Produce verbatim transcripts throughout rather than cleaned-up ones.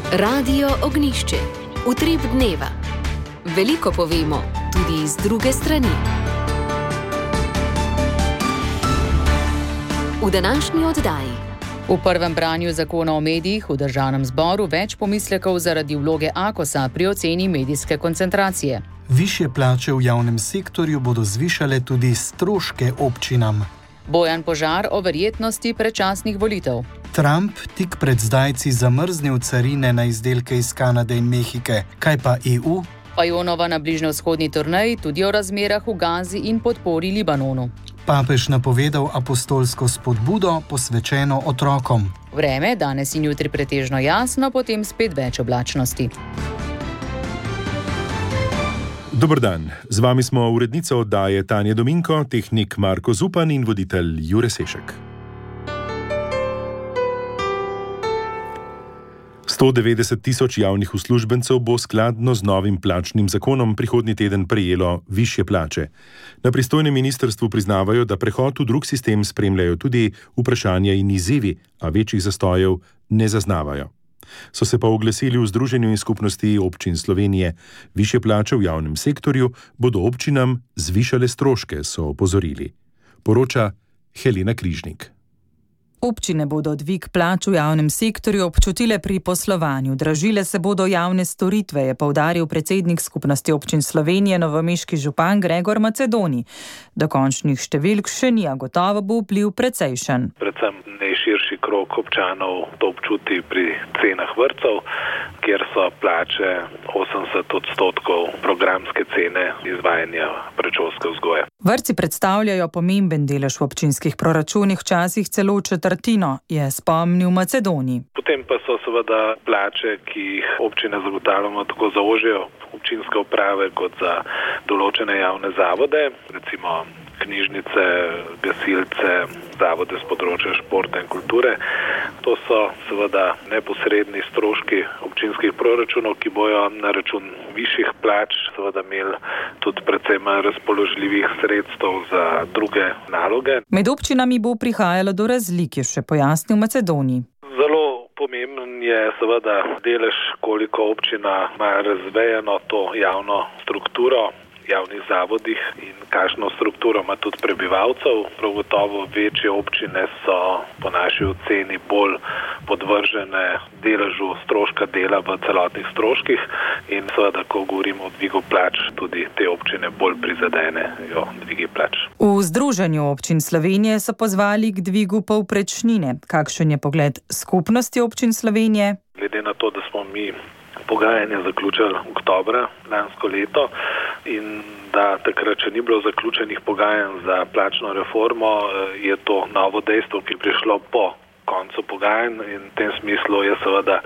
Radio Ognišče, utrip dneva. Veliko povemo, tudi iz druge strani. V današnji oddaji. V prvem branju zakona o medijih v državnem zboru več pomislekov zaradi vloge Akosa pri oceni medijske koncentracije. Višje plače v javnem sektorju bodo zvišale tudi stroške občinam. Bojan Požar o verjetnosti predčasnih volitev. Trump tik pred zdajci zamrznil carine na izdelke iz Kanade in Mehike. Kaj pa E U? Fajonova na bližnjevzhodni turneji tudi o razmerah v Gazi in podpori Libanonu. Papež napovedal apostolsko spodbudo posvečeno otrokom. Vreme danes in jutri pretežno jasno, potem spet več oblačnosti. Dober dan, z vami smo urednica oddaje Tanja Dominko, tehnik Marko Zupan in voditelj Jure Sešek. sto devetdeset tisoč javnih uslužbencev bo skladno z novim plačnim zakonom prihodnji teden prejelo višje plače. Na pristojnem ministrstvu priznavajo, da prehod v drug sistem spremljajo tudi vprašanja in izzivi, a večjih zastojev ne zaznavajo. So se pa oglasili v Združenju in skupnosti občin Slovenije. Višje plače v javnem sektorju bodo občinam zvišale stroške, so opozorili. Poroča Helena Križnik. Občine bodo dvig plač v javnem sektorju občutile pri poslovanju. Dražile se bodo javne storitve, je poudaril predsednik skupnosti občin Slovenije, novomeški župan Gregor Macedoni. Dokončnih številk še ni, a gotovo bo vpliv precejšen. Predvsem najširši krog občanov to občuti pri cenah vrtcev, kjer so plače osemdeset odstotkov programske cene izvajanja predšolske vzgoje. Vrtci predstavljajo pomemben delež v občinskih proračunih, včasih celo četrtino, je spomnil Macedoni. Potem pa so seveda plače, ki jih občine zagotavljamo tako za ožje občinske uprave kot za določene javne zavode, recimo knjižnice, gasilce, zavode z področja športa in kulture. To so seveda neposredni stroški občinskih proračunov, ki bojo na račun višjih plač seveda imeli tudi predvsem razpoložljivih sredstev za druge naloge. Med občinami bo prihajalo do razlik, je še pojasnil Macedoni. Zelo pomemben je seveda delež, koliko občina ima razvejeno to javno strukturo javnih zavodih in kakšno strukturo ima tudi prebivalcev. Prav gotovo večje občine so po naši oceni bolj podvržene deležu stroška dela v celotnih stroških in seveda, ko govorimo o dvigu plač, tudi te občine bolj prizadenejo dvigi plač. V Združenju občin Slovenije so pozvali k dvigu povprečnine. Kakšen je pogled skupnosti občin Slovenije? Glede na to, da smo mi pogajanje zaključili oktobra lansko leto in da takrat še ni bilo zaključenih pogajanj za plačno reformo, je to novo dejstvo, ki je prišlo po koncu pogajanj in v tem smislu je seveda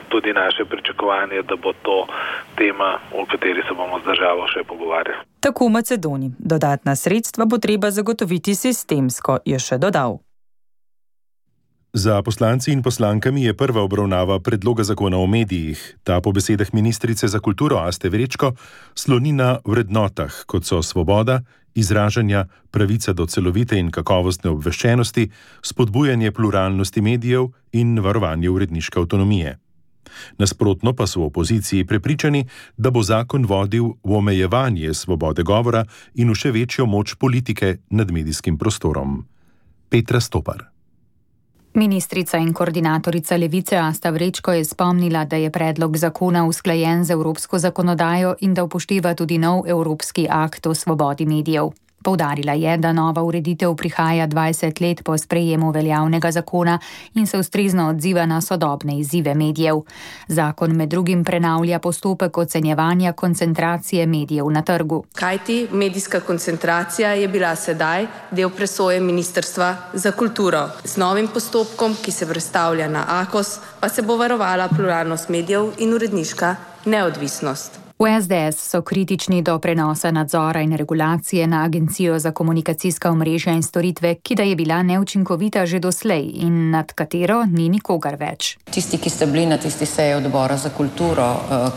tudi naše pričakovanje, da bo to tema, o kateri se bomo z državo še pogovarjali. Tako v Macedoniji. Dodatna sredstva bo treba zagotoviti sistemsko, je še dodal. Za poslanci in poslankami je prva obravnava predloga zakona o medijih. Ta po besedah ministrice za kulturo Aste Vrečko sloni na vrednotah, kot so svoboda, izražanja, pravica do celovite in kakovostne obveščenosti, spodbujanje pluralnosti medijev in varovanje uredniške avtonomije. Nasprotno pa so v opoziciji prepričani, da bo zakon vodil v omejevanje svobode govora in v še večjo moč politike nad medijskim prostorom. Petra Stopar. Ministrica in koordinatorica Levice Asta Vrečko je spomnila, da je predlog zakona usklajen z evropsko zakonodajo in da upošteva tudi nov evropski akt o svobodi medijev. Poudarila je, da nova ureditev prihaja dvajset let po sprejemu veljavnega zakona in se ustrezno odziva na sodobne izzive medijev. Zakon med drugim prenavlja postopek ocenjevanja koncentracije medijev na trgu. Kajti medijska koncentracija je bila sedaj del presoje Ministrstva za kulturo. Z novim postopkom, ki se prestavlja na Akos, pa se bo varovala pluralnost medijev in uredniška neodvisnost. V S D S so kritični do prenosa nadzora in regulacije na Agencijo za komunikacijska omrežja in storitve, ki da je bila neučinkovita že doslej in nad katero ni nikogar več. Tisti, ki ste bili na tisti seji odbora za kulturo,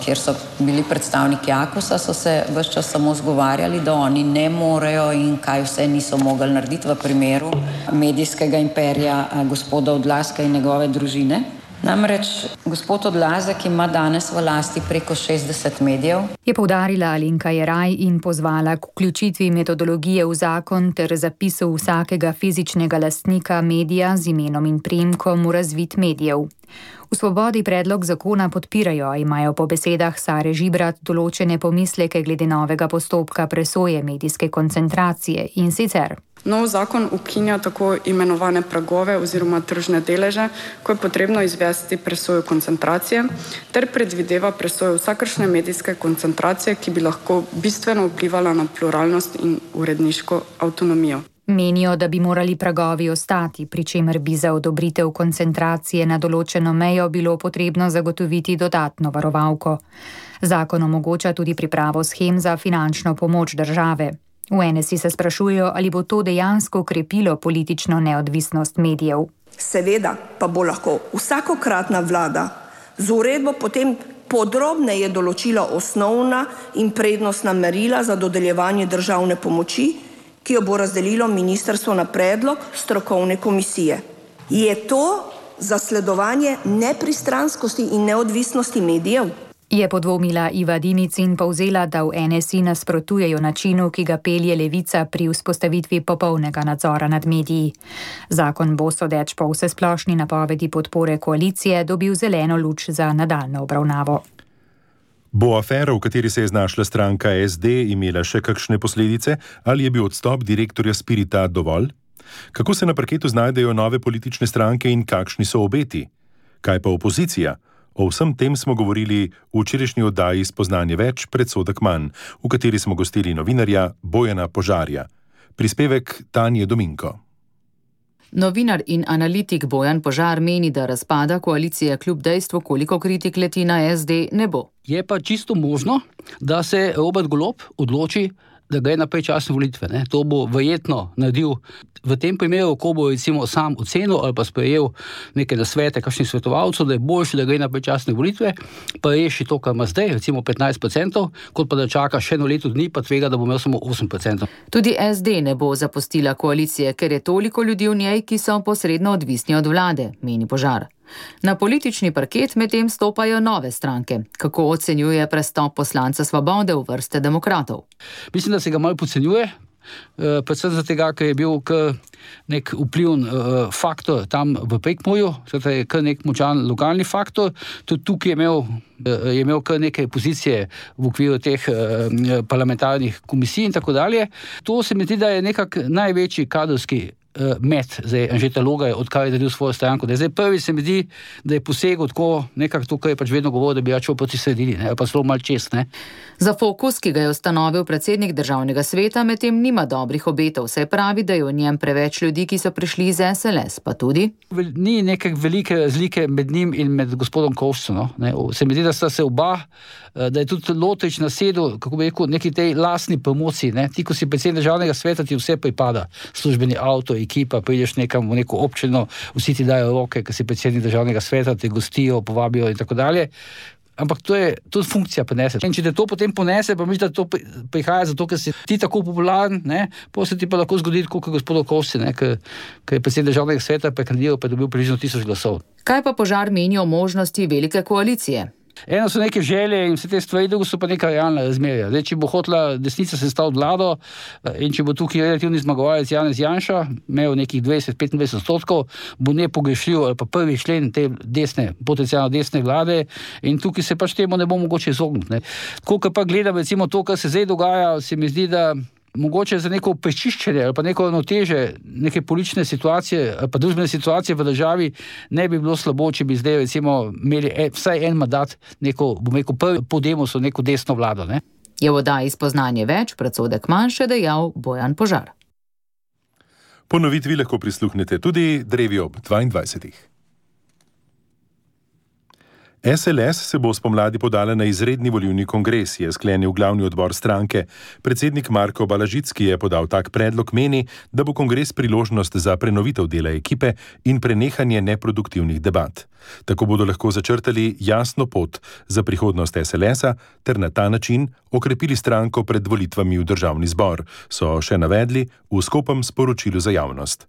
kjer so bili predstavniki Akosa, so se ves čas samo zgovarjali, da oni ne morejo in kaj vse niso mogli narediti v primeru medijskega imperija gospoda Odlazka in njegove družine. Namreč gospod Odlazek ima danes v lasti preko šestdeset medijev. Je poudarila Alenka Jeraj in pozvala k vključitvi metodologije v zakon ter zapisu vsakega fizičnega lastnika medija z imenom in priimkom v razvid medijev. V Svobodi predlog zakona podpirajo, a imajo po besedah Sare Žibrat določene pomisleke glede novega postopka presoje medijske koncentracije in sicer. Nov zakon ukinja tako imenovane pragove oziroma tržne deleže, ko je potrebno izvesti presojo koncentracije, ter predvideva presojo vsakršne medijske koncentracije, ki bi lahko bistveno vplivala na pluralnost in uredniško avtonomijo. Menijo, da bi morali pragovi ostati, pri čemer bi za odobritev koncentracije na določeno mejo bilo potrebno zagotoviti dodatno varovalko. Zakon omogoča tudi pripravo shem za finančno pomoč države. V N S I se sprašujejo, ali bo to dejansko krepilo politično neodvisnost medijev. Seveda pa bo lahko vsakokratna vlada z uredbo potem podrobneje določila osnovna in prednostna merila za dodeljevanje državne pomoči, ki jo bo razdelilo ministrstvo na predlog strokovne komisije. Je to zasledovanje nepristranskosti in neodvisnosti medijev? Je podvomila Iva Dimic in povzela, da v N S I nasprotujejo načinu, ki ga pelje Levica pri vzpostavitvi popolnega nadzora nad mediji. Zakon bo sodeč po vsesplošni napovedi podpore koalicije dobil zeleno luč za nadaljnjo obravnavo. Bo afera, v kateri se je znašla stranka S D, imela še kakšne posledice ali je bil odstop direktorja Spirita dovolj? Kako se na parketu znajdejo nove politične stranke in kakšni so obeti? Kaj pa opozicija? O vsem tem smo govorili v včerajšnji oddaji Spoznanje več, predsodek manj, v kateri smo gostili novinarja Bojana Požarja. Prispevek Tanje Dominko. Novinar in analitik Bojan Požar meni, da razpada koalicije kljub dejstvu, koliko kritik leti na S D, ne bo. Je pa čisto možno, da se Robert Golob odloči, da gre na predčasne volitve. Ne. To bo verjetno naredil v tem primeru, ko bo recimo sam ocenil ali pa sprejel neke nasvete kakšnih svetovalcev, da je boljše, da gre na predčasne volitve, pa reši to, kar ima zdaj, recimo petnajst procentov, kot pa da čaka še eno leto dni, pa tvega, da bo imel samo osem procentov. Tudi S D ne bo zapustila koalicije, ker je toliko ljudi v njej, ki so posredno odvisni od vlade, meni Požar. Na politični parket medtem stopajo nove stranke. Kako ocenjuje prestop poslanca Svobode v vrste demokratov? Mislim, da se ga malo podcenjuje, predvsem zato, ker je bil nek vpliven faktor tam v Prekmurju, zato je kar nek močan lokalni faktor. Tudi tukaj je imel, je imel kar neke pozicije v okviru teh parlamentarnih komisij in tako dalje. To se mi zdi, da je nekak največji kadrovski med, zdaj Anžeta Logar, odkar je naredil svojo stranko. Da zdaj prvi se mi zdi, da je posegel tako nekako to, kar je pač vedno govoril, da bi račal proti sredini, ne, pa zelo malo čez, ne. Za Fokus, ki ga je ustanovil predsednik državnega sveta, medtem nima dobrih obetov, saj pravi, da je v njem preveč ljudi, ki so prišli iz S L S, pa tudi ni neke velike razlike med njim in med gospodom Kovšcem, no, ne. Se mi zdi, da sta se oba, da je tudi Lotrič nasedel, kako bi rekel, neki tej lastni promociji, ne. Ti, ko si predsednik državnega sveta, ti vse pripada, službeni avto, ekipa, prideš nekam v neko občino, vsi ti dajo roke, ker si predsednik državnega sveta, te gostijo, povabijo in tako dalje. Ampak to je tudi funkcija ponese. In če te to potem ponese, pa misliš, da to prihaja zato, ker si ti tako popularen, ne, pa se ti pa lahko zgodi, kot gospod Kovšci, ne, ker, ker je predsednik državnega sveta prekandidiral, pa je dobil približno tisoč glasov. Kaj pa Požar meni o možnosti velike koalicije? Eno so neke želje in vse te stvari, drugo so pa neka realna razmerja. Zdaj, če bo hotela desnica sestaviti vlado in če bo tukaj relativni zmagovalec Janez Janša, imel nekih dvajset do petindvajset odstotkov, bo nepogrešljiv ali pa prvi člen te desne, potencialno desne vlade in tukaj se pač temu ne bo mogoče izogniti, ne. Ko pa gledam recimo to, kar se zdaj dogaja, se mi zdi, da mogoče za neko prečiščenje ali pa neko ravnoteže neke politične situacije ali pa družbene situacije v državi ne bi bilo slabo, če bi zdaj recimo imeli vsaj en mandat neko, bom rekel, prvi po Demosu neko desno vlado, ne. Je v oddaji Spoznanje več, predsodek manj, še dejal Bojan Požar. Ponovitvi lahko prisluhnete tudi drevi ob dvaindvajsetih. S L S se bo spomladi podala na izredni volilni kongres, je sklenil glavni odbor stranke. Predsednik Marko Balažicki je podal tak predlog, meni, da bo kongres priložnost za prenovitev dela ekipe in prenehanje neproduktivnih debat. Tako bodo lahko začrtali jasno pot za prihodnost S L S-a ter na ta način okrepili stranko pred volitvami v državni zbor, so še navedli v skopem sporočilu za javnost.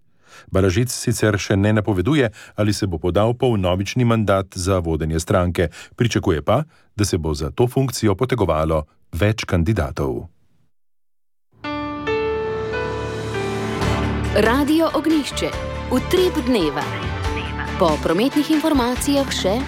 Balažic sicer še ne napoveduje, ali se bo podal po vnovični mandat za vodenje stranke. Pričakuje pa, da se bo za to funkcijo potegovalo več kandidatov. Radio Ognjišče. Utrip dneva. Po prometnih informacijah še...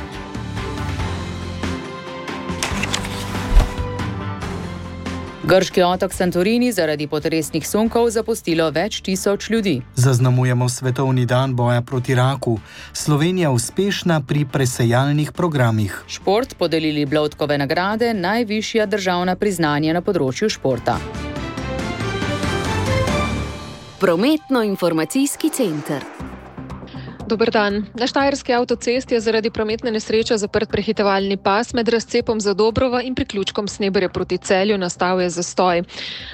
Grški otok Santorini zaradi potresnih sunkov zapustilo več tisoč ljudi. Zaznamujemo svetovni dan boja proti raku. Slovenija uspešna pri presejalnih programih. Šport podelili Bloudkove nagrade, najvišja državna priznanja na področju športa. Prometno-informacijski center. Dober dan. Na Štajerski avtocesti je zaradi prometne nesreče zaprt prehitevalni pas med razcepom Zadobrova in priključkom Sneberje proti Celju, nastal je zastoj.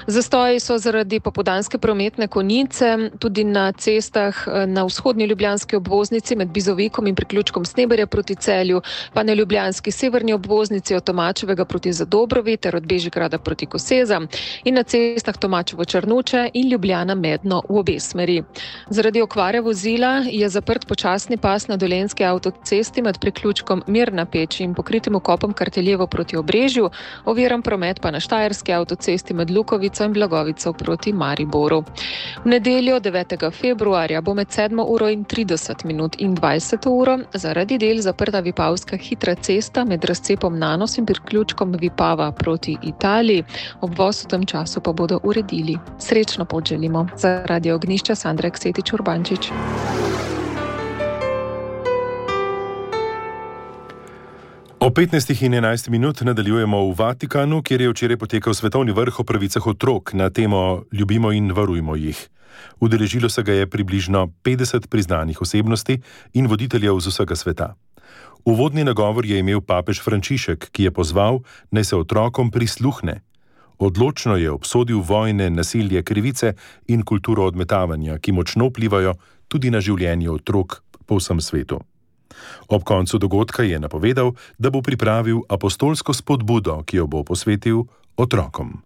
Zastoji so zaradi popoldanske prometne konice, tudi na cestah na vzhodni ljubljanski obvoznici med Bizovikom in priključkom Sneberje proti Celju, pa na ljubljanski severni obvoznici od Tomačevega proti Zadobrovi ter od Bežigrada proti Koseza in na cestah Tomačevo Črnuče in Ljubljana Medno v obe smeri. Zaradi okvare vozila je zaprt počasni pas na Dolenjski avtocesti med priključkom Mirna Peč in pokritim vkopom Karteljevo proti Obrežju, oviran promet pa na Štajerski avtocesti med Lukovico in Blagovico proti Mariboru. V nedeljo devetega februarja bo med sedmo uro in trideset minut in dvajseto uro zaradi del zaprta Vipavska hitra cesta med razcepom Nanos in priključkom Vipava proti Italiji. Obvoz v tem času pa bodo uredili. Srečno pot želimo. Za Radio Ognjišče Sandra Eksetič Urbančič. O petnajstih in enajst minut nadaljujemo v Vatikanu, kjer je včeraj potekal svetovni vrh o pravicah otrok na temo Ljubimo in varujmo jih. Udeležilo se ga je približno petdeset priznanih osebnosti in voditeljev z vsega sveta. Uvodni nagovor je imel papež Frančišek, ki je pozval, naj se otrokom prisluhne. Odločno je obsodil vojne, nasilje, krivice in kulturo odmetavanja, ki močno vplivajo tudi na življenje otrok po vsem svetu. Ob koncu dogodka je napovedal, da bo pripravil apostolsko spodbudo, ki jo bo posvetil otrokom.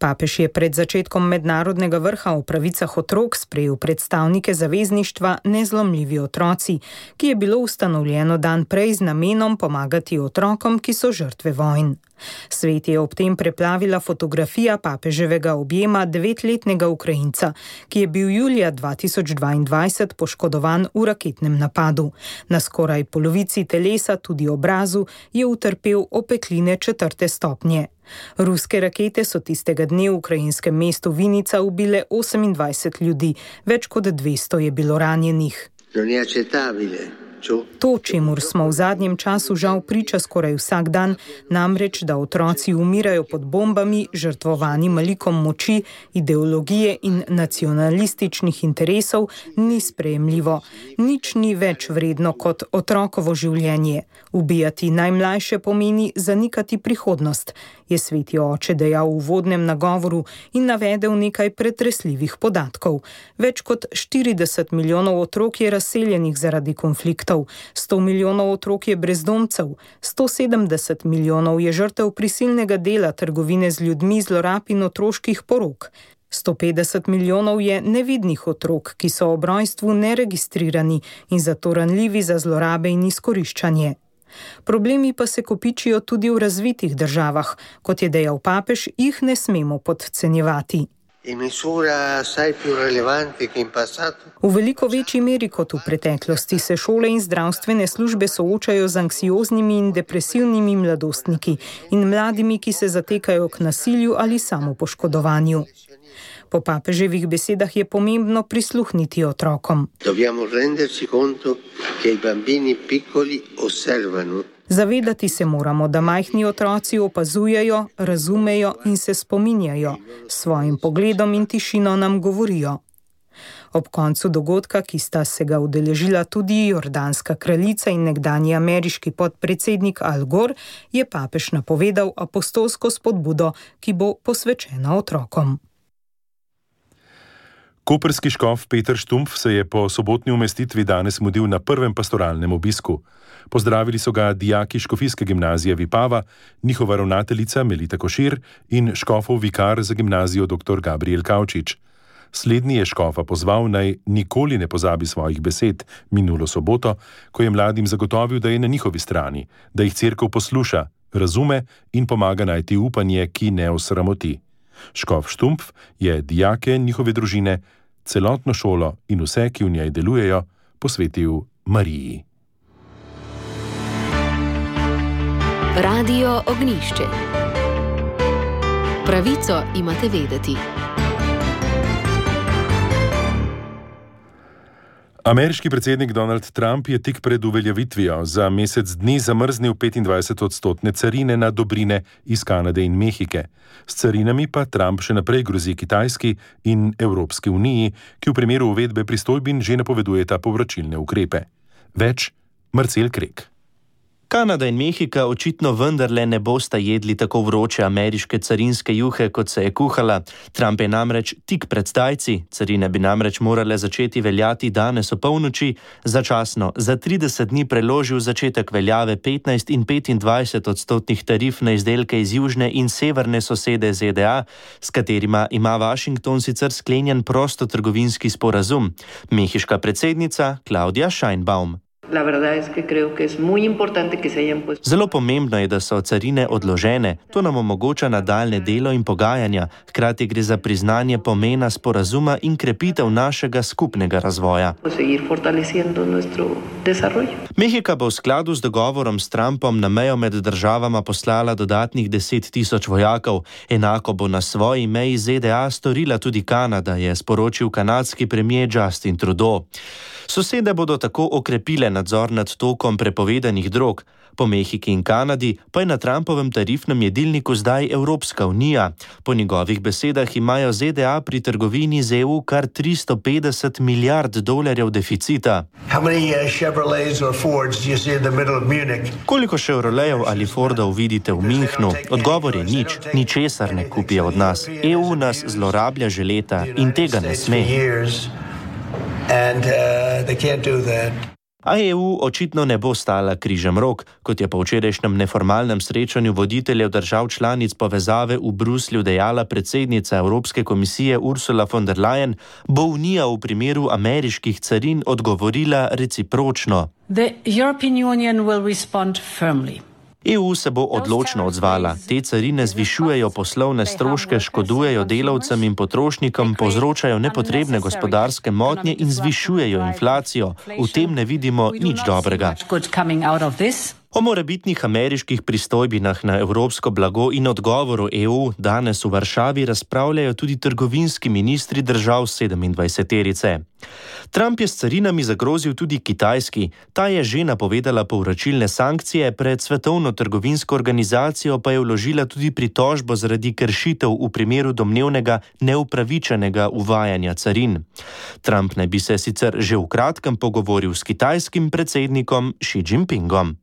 Papež je pred začetkom mednarodnega vrha o pravicah otrok sprejel predstavnike zavezništva Nezlomljivi otroci, ki je bilo ustanovljeno dan prej z namenom pomagati otrokom, ki so žrtve vojn. Svet je ob tem preplavila fotografija papeževega objema devetletnega Ukrajinca, ki je bil julija dva tisoč dvaindvajset poškodovan v raketnem napadu. Na skoraj polovici telesa, tudi obrazu, je utrpel opekline četrte stopnje. Ruske rakete so tistega dne v ukrajinskem mestu Vinica ubile osemindvajset ljudi, več kot dvesto je bilo ranjenih. To, čemur smo v zadnjem času žal priča skoraj vsak dan, namreč, da otroci umirajo pod bombami, žrtvovani malikom moči, ideologije in nacionalističnih interesov, ni sprejemljivo. Nič ni več vredno kot otrokovo življenje. Ubijati najmlajše pomeni zanikati prihodnost, je sveti oče dejal v uvodnem nagovoru in navedel nekaj pretresljivih podatkov. Več kot štirideset milijonov otrok je razseljenih zaradi konfliktov, sto milijonov otrok je brezdomcev, sto sedemdeset milijonov je žrtev prisilnega dela, trgovine z ljudmi, zlorab in otroških porok. sto petdeset milijonov je nevidnih otrok, ki so ob rojstvu neregistrirani in zato ranljivi za zlorabe in izkoriščanje. Problemi pa se kopičijo tudi v razvitih državah. Kot je dejal papež, jih ne smemo podcenjevati. V veliko večji meri kot v preteklosti se šole in zdravstvene službe soočajo z anksioznimi in depresivnimi mladostniki in mladimi, ki se zatekajo k nasilju ali samopoškodovanju. Po papeževih besedah je pomembno prisluhniti otrokom. Zavedati se moramo, da majhni otroci opazujejo, razumejo in se spominjajo. S svojim pogledom in tišino nam govorijo. Ob koncu dogodka, ki sta se ga udeležila tudi jordanska kraljica in nekdanji ameriški podpredsednik Al Gore, je papež napovedal apostolsko spodbudo, ki bo posvečena otrokom. Koprski škof Peter Štumpf se je po sobotni umestitvi danes mudil na prvem pastoralnem obisku. Pozdravili so ga dijaki Škofijske gimnazije Vipava, njihova ravnateljica Melita Košir in škofov vikar za gimnazijo dr. Gabriel Kavčič. Slednji je škofa pozval, naj nikoli ne pozabi svojih besed minulo soboto, ko je mladim zagotovil, da je na njihovi strani, da jih cerkev posluša, razume in pomaga najti upanje, ki ne osramoti. Škof Štumpf je dijake, njihove družine, celotno šolo in vse, ki v njej delujejo, posvetil Mariji. Radio Ognjišče. Pravico imate vedeti. Ameriški predsednik Donald Trump je tik pred uveljavitvijo za mesec dni zamrznil petindvajset odstotne carine na dobrine iz Kanade in Mehike. S carinami pa Trump še naprej grozi Kitajski in Evropski uniji, ki v primeru uvedbe pristojbin že napovedujeta povračilne ukrepe. Več Marcel Krek. Kanada in Mehika očitno vendarle ne bosta jedli tako vroče ameriške carinske juhe, kot se je kuhala. Trump je namreč tik pred zdajci, carine bi namreč morale začeti veljati danes o polnoči, začasno za trideset dni preložil začetek veljave petnajst in petindvajset odstotnih tarif na izdelke iz južne in severne sosede Z D A, s katerima ima Washington sicer sklenjen prostotrgovinski sporazum. Mehiška predsednica Claudia Sheinbaum. Zelo pomembno je, da so carine odložene. To nam omogoča nadaljne delo in pogajanja. Hkrati gre za priznanje pomena sporazuma in krepitev našega skupnega razvoja. Mehika bo v skladu z dogovorom s Trumpom na mejo med državama poslala dodatnih deset tisoč vojakov. Enako bo na svoji meji Z D A storila tudi Kanada, je sporočil kanadski premier Justin Trudeau. Sosede bodo tako okrepile nadzor nad tokom prepovedanih drog. Po Mehiki in Kanadi pa je na Trumpovem tarifnem jedilniku zdaj Evropska unija. Po njegovih besedah imajo Z D A pri trgovini z E U kar tristo petdeset milijard dolarjev deficita. Koliko Chevroletov ali Fordov vidite v Münchnu? Odgovor je nič, ničesar ne kupijo od nas. E U nas zlorablja že leta in tega ne sme. And, uh, they can't do that. A E U očitno ne bo stala križem rok, kot je po včerajšnjem neformalnem srečanju voditeljev držav članic povezave v Bruslju dejala predsednica Evropske komisije Ursula von der Leyen, bo Unija v primeru ameriških carin odgovorila recipročno. The European Union will respond firmly. E U se bo odločno odzvala. Te carine zvišujejo poslovne stroške, škodujejo delavcem in potrošnikom, povzročajo nepotrebne gospodarske motnje in zvišujejo inflacijo. V tem ne vidimo nič dobrega. O morebitnih ameriških pristojbinah na evropsko blago in odgovoru E U danes v Varšavi razpravljajo tudi trgovinski ministri držav sedemindvajseterice. Trump je s carinami zagrozil tudi Kitajski. Ta je že napovedala povračilne sankcije, pred Svetovno trgovinsko organizacijo pa je vložila tudi pritožbo zaradi kršitev v primeru domnevnega neupravičenega uvajanja carin. Trump naj bi se sicer že v kratkem pogovoril s kitajskim predsednikom Xi Jinpingom.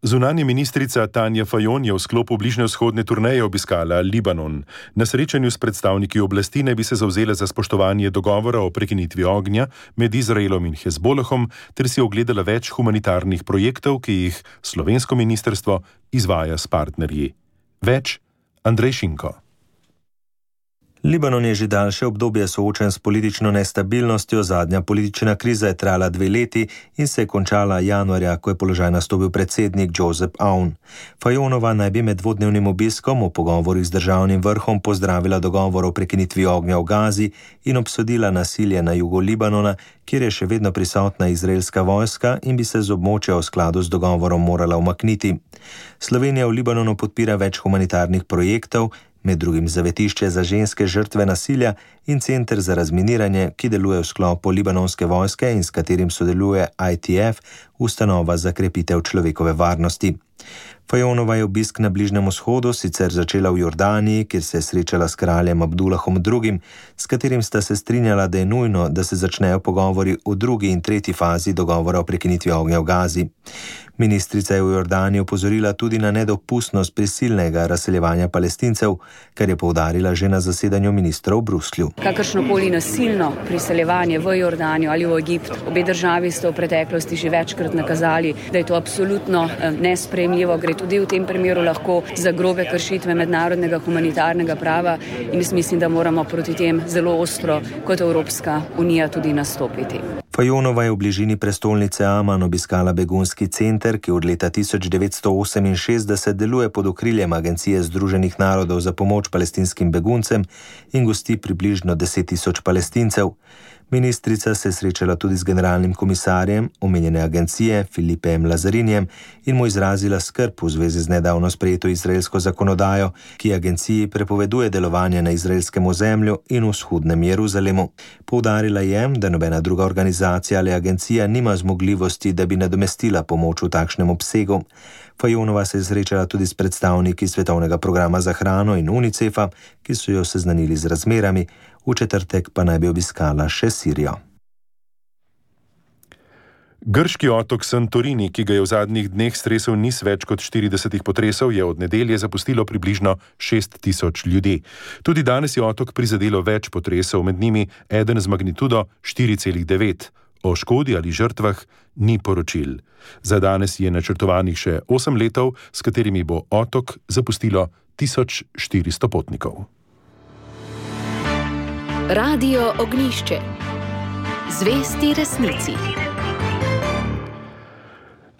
Zunanja ministrica Tanja Fajon je v sklopu bližnjevzhodne turneje obiskala Libanon. Na srečanju s predstavniki oblasti naj bi se zavzela za spoštovanje dogovora o prekinitvi ognja med Izraelom in Hezbolahom ter si ogledala več humanitarnih projektov, ki jih slovensko ministrstvo izvaja s partnerji. Več Andrej Šinko. Libanon je že daljše obdobje soočen s politično nestabilnostjo, zadnja politična kriza je trajala dve leti in se je končala januarja, ko je položaj nastopil predsednik Joseph Aoun. Fajonova naj bi med dvodnevnim obiskom v pogovorih z državnim vrhom pozdravila dogovor o prekinitvi ognja v Gazi in obsodila nasilje na jugu Libanona, kjer je še vedno prisotna izraelska vojska in bi se z območja v skladu z dogovorom morala umakniti. Slovenija v Libanonu podpira več humanitarnih projektov, med drugim zavetišče za ženske žrtve nasilja in center za razminiranje, ki deluje v sklopu libanonske vojske in s katerim sodeluje I T F, ustanova za krepitev človekove varnosti. Fajonova je obisk na Bližnjem vzhodu sicer začela v Jordaniji, kjer se je srečala s kraljem Abdulahom drugim, s katerim sta se strinjala, da je nujno, da se začnejo pogovori v drugi in tretji fazi dogovora o prekinitvi ognja v Gazi. Ministrica je v Jordani opozorila tudi na nedopustnost prisilnega razseljevanja Palestincev, kar je poudarila že na zasedanju ministrov v Bruslju. Kakršnokoli nasilno priseljevanje v Jordanijo ali v Egipt, obe državi sta v preteklosti že večkrat nakazali, da je to absolutno nesprejemljivo. Gre tudi v tem primeru lahko za grobe kršitve mednarodnega humanitarnega prava in jaz mislim, da moramo proti tem zelo ostro kot Evropska unija tudi nastopiti. Fajonova je v bližini prestolnice Aman obiskala begunski center, ki od leta tisoč devetsto oseminšestdeset deluje pod okriljem Agencije Združenih narodov za pomoč palestinskim beguncem in gosti približno deset tisoč Palestincev. Ministrica se je srečala tudi z generalnim komisarjem omenjene agencije Filipejem Lazarinjem in mu izrazila skrb v zvezi z nedavno sprejeto izraelsko zakonodajo, ki agenciji prepoveduje delovanje na izraelskem ozemlju in v vzhodnem Jeruzalemu. Poudarila je, da nobena druga organizacija ali agencija nima zmogljivosti, da bi nadomestila pomoč v takšnem obsegu. Fajonova se je srečala tudi s predstavniki Svetovnega programa za hrano in UNICEF-a, ki so jo seznanili z razmerami, v četrtek pa naj bi obiskala še Sirijo. Grški otok Santorini, ki ga je v zadnjih dneh stresel niz več kot štiridesetih potresov, je od nedelje zapustilo približno šest tisoč ljudi. Tudi danes je otok prizadelo več potresov, med njimi eden z magnitudo štiri celih devet. O škodi ali žrtvah ni poročil. Za danes je načrtovanih še osem letov, s katerimi bo otok zapustilo tisoč štiristo potnikov. Radio Ognjišče. Zvesti resnici.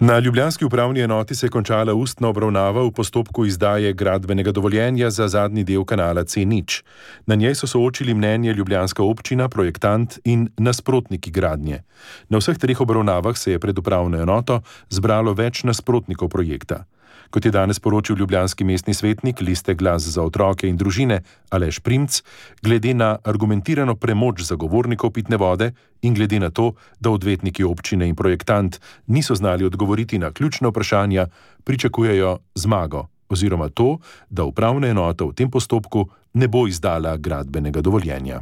Na ljubljanski upravni enoti se je končala ustna obravnava v postopku izdaje gradbenega dovoljenja za zadnji del kanala C nič. Na njej so soočili mnenje ljubljanska občina, projektant in nasprotniki gradnje. Na vseh treh obravnavah se je pred upravno enoto zbralo več nasprotnikov projekta. Kot je danes poročil ljubljanski mestni svetnik liste Glas za otroke in družine Aleš Primc, glede na argumentirano premoč zagovornikov pitne vode in glede na to, da odvetniki občine in projektant niso znali odgovoriti na ključna vprašanja, pričakujejo zmago oziroma to, da upravna enota v tem postopku ne bo izdala gradbenega dovoljenja.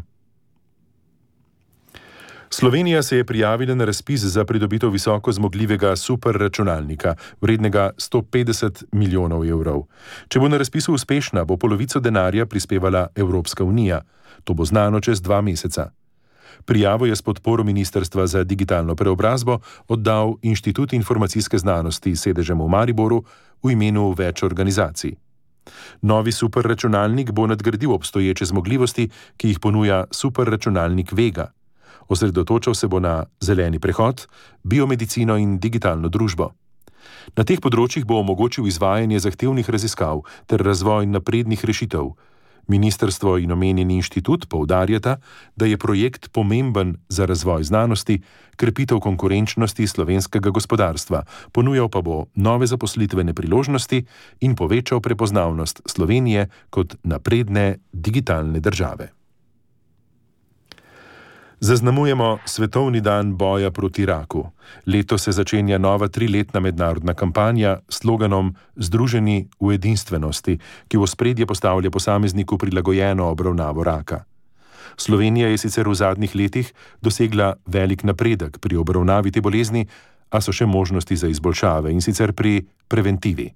Slovenija se je prijavila na razpis za pridobitev visoko zmogljivega superračunalnika, vrednega sto petdeset milijonov evrov. Če bo na razpisu uspešna, bo polovico denarja prispevala Evropska unija. To bo znano čez dva meseca. Prijavo je s podporo Ministrstva za digitalno preobrazbo oddal Inštitut informacijske znanosti s sedežem v Mariboru v imenu več organizacij. Novi superračunalnik bo nadgradil obstoječe zmogljivosti, ki jih ponuja superračunalnik Vega. Osredotočal se bo na zeleni prehod, biomedicino in digitalno družbo. Na teh področjih bo omogočil izvajanje zahtevnih raziskav ter razvoj naprednih rešitev. Ministrstvo in omenjeni inštitut poudarjata, da je projekt pomemben za razvoj znanosti, krepitev konkurenčnosti slovenskega gospodarstva, ponujal pa bo nove zaposlitvene priložnosti in povečal prepoznavnost Slovenije kot napredne digitalne države. Zaznamujemo Svetovni dan boja proti raku. Letos se začenja nova triletna mednarodna kampanja s sloganom Združeni v edinstvenosti, ki v ospredje postavlja posamezniku prilagojeno obravnavo raka. Slovenija je sicer v zadnjih letih dosegla velik napredek pri obravnavi te bolezni, a so še možnosti za izboljšave in sicer pri preventivi.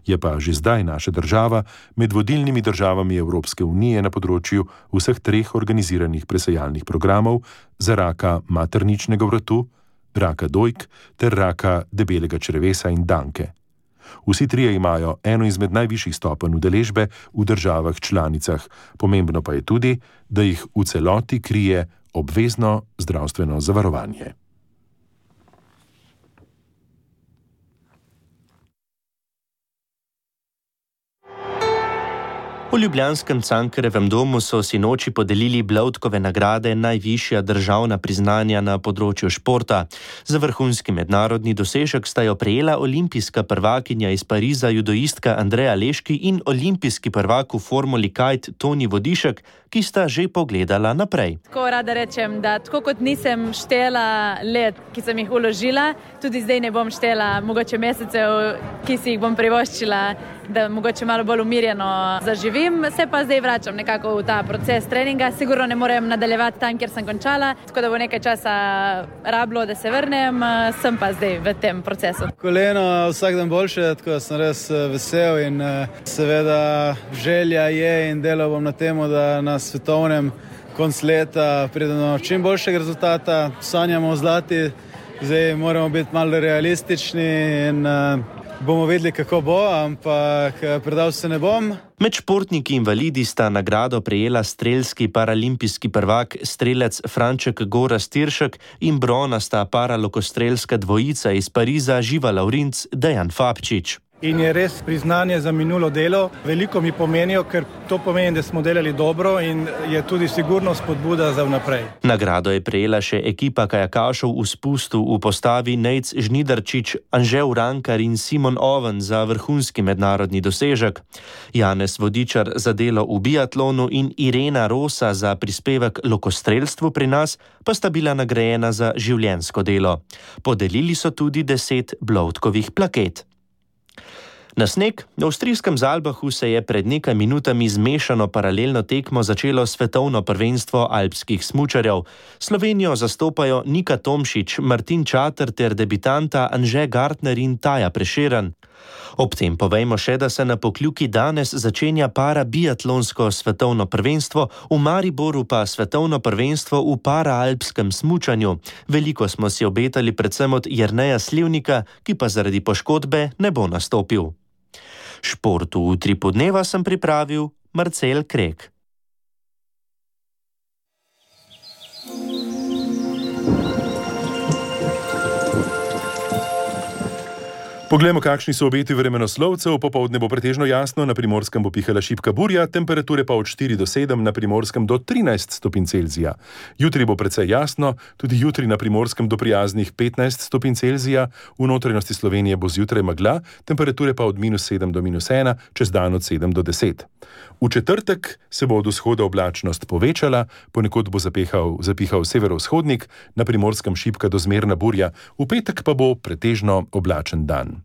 Je pa že zdaj naša država med vodilnimi državami Evropske unije na področju vseh treh organiziranih presejalnih programov za raka materničnega vratu, raka dojk ter raka debelega črevesa in danke. Vsi trije imajo eno izmed najvišjih stopenj udeležbe v državah članicah, pomembno pa je tudi, da jih v celoti krije obvezno zdravstveno zavarovanje. V ljubljanskem Cankarjevem domu so sinoči podelili Blavtkove nagrade, najvišja državna priznanja na področju športa. Za vrhunski mednarodni dosežek sta jo prejela olimpijska prvakinja iz Pariza judoistka Andreja Leški in olimpijski prvak v formuli kite Toni Vodišek, ki sta že pogledala naprej. Tako rada rečem, da tako kot nisem štela let, ki sem jih vložila, tudi zdaj ne bom štela mogoče mesecev, ki si jih bom privoščila da mogoče malo bolj umirjeno zaživim. Se pa zdaj vračam nekako v ta proces treninga. Sigurno ne morem nadaljevati tam, kjer sem končala, tako da bo nekaj časa rablo, da se vrnem. Sem pa zdaj v tem procesu. Koleno vsak dan boljše, tako da sem res vesel in seveda želja je in delal bom na temu, da na svetovnem konc leta pridemo čim boljšega rezultata. Sanjamo o zlati, zdaj moramo biti malo realistični in uh, bomo vedeli, kako bo, ampak predal se ne bom. Med športniki invalidi sta nagrado prejela strelski paralimpijski prvak strelec Franček Gorazd Tiršek in bronasta paralokostrelska dvojica iz Pariza Živa Lavrinc Dejan Fabčič. In je res priznanje za minulo delo. Veliko mi pomenijo, ker to pomeni, da smo delali dobro in je tudi sigurno spodbuda za vnaprej. Nagrado je prejela še ekipa kajakašev v spustu v postavi Nejc Žnidarčič, Anže Urankar in Simon Oven za vrhunski mednarodni dosežek. Janez Vodičar za delo v biatlonu in Irena Rosa za prispevek lokostrelstvu pri nas pa sta bila nagrajena za življenjsko delo. Podelili so tudi deset Bloudkovih plaket. Na sneg v avstrijskem Zalbachu se je pred nekaj minutami zmešano paralelno tekmo začelo svetovno prvenstvo alpskih smučarjev. Slovenijo zastopajo Nika Tomšič, Martin Čater ter debitanta Anže Gartner in Taja Prešeren. Ob tem povejmo še, da se na Pokljuki danes začenja para biatlonsko svetovno prvenstvo, v Mariboru pa svetovno prvenstvo v paraalpskem smučanju. Veliko smo si obetali predvsem od Jerneja Slivnika, ki pa zaradi poškodbe ne bo nastopil. Športu v Utripu dneva sem pripravil Marcel Krek. Poglejmo, kakšni so obeti vremenoslovcev. Popoldne bo pretežno jasno, na Primorskem bo pihala šibka burja, temperature pa od štiri do sedem, na Primorskem do trinajst stopinj Celzija. Jutri bo precej jasno, tudi jutri na Primorskem do prijaznih petnajst stopinj Celzija, v notranjosti Slovenije bo zjutraj megla, temperature pa od minus sedem do minus ena, čez dan od sedem do deset. V četrtek se bo od vzhoda oblačnost povečala, ponekod bo zapehal, zapihal severovzhodnik, na Primorskem šibka do zmerna burja, v petek pa bo pretežno oblačen dan.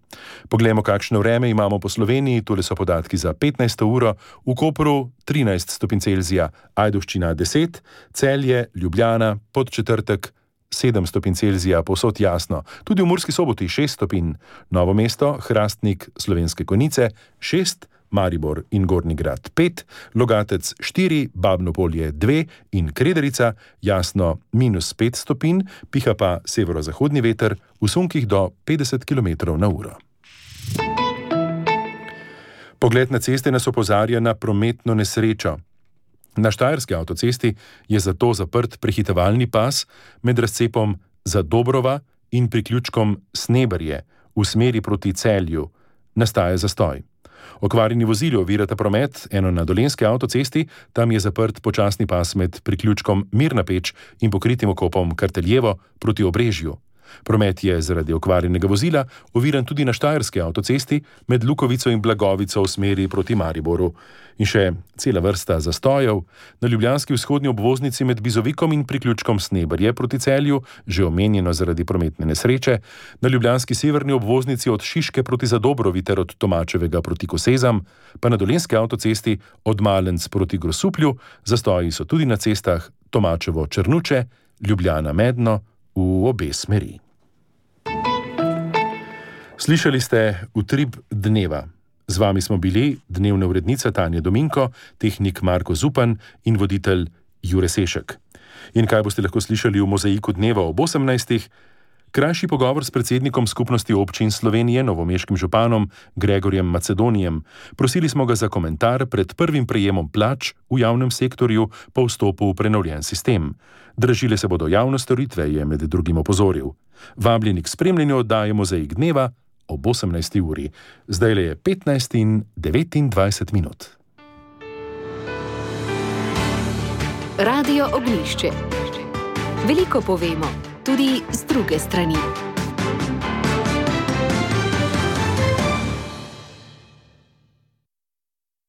Poglejmo, kakšno vreme imamo po Sloveniji. Tole so podatki za petnajsto uro. V Kopru trinajst stopinj Celzija, Ajdovščina deset, Celje, Ljubljana, Podčetrtek sedem stopinj Celzija, povsod jasno. Tudi v Murski Soboti šest stopinj, Novo mesto, Hrastnik, Slovenske Konjice šest, Maribor in Gornji Grad pet, Logatec štiri, Babno Polje dve in Krederica jasno minus pet stopinj, piha pa severozahodni veter v sunkih do petdeset kilometrov na uro. Pogled na ceste nas opozarja na prometno nesrečo. Na Štajerski avtocesti je zato zaprt prehitevalni pas med razcepom Zadobrova in priključkom Sneberje v smeri proti Celju. Nastaja zastoj. Okvarjeni vozili ovirata promet, eno na Dolenjski avtocesti, tam je zaprt počasni pas med priključkom Mirna Peč in pokritim okopom Karteljevo proti Obrežju. Promet je zaradi okvarjenega vozila oviran tudi na Štajerski avtocesti med Lukovico in Blagovico v smeri proti Mariboru. In še cela vrsta zastojev. Na ljubljanski vzhodni obvoznici med Bizovikom in priključkom Sneberje proti Celju, že omenjeno zaradi prometne nesreče, na ljubljanski severni obvoznici od Šiške proti Zadobrovi ter od Tomačevega proti Kosezam, pa na Dolenjski avtocesti od Malenc proti Grosuplju, zastoji so tudi na cestah Tomačevo-Črnuče, Ljubljana-Medno v obe smeri. Slišali ste Utrip dneva. Z vami smo bili dnevna urednica Tanja Dominko, tehnik Marko Zupan in voditelj Jure Sešek. In kaj boste lahko slišali v Mozaiku dneva ob osemnajstih? Krajši pogovor s predsednikom Skupnosti občin Slovenije, novomeškim županom Gregorjem Macedonijem. Prosili smo ga za komentar pred prvim prejemom plač v javnem sektorju po vstopu v prenovljen sistem. Dražile se bodo javne storitve, je med drugim opozoril. Vabljeni k spremljanju oddaje Mozaik dneva ob osemnajsti uri. Zdaj le je petnajst in devetindvajset minut. Radio Ognjišče. Veliko povemo, tudi z druge strani.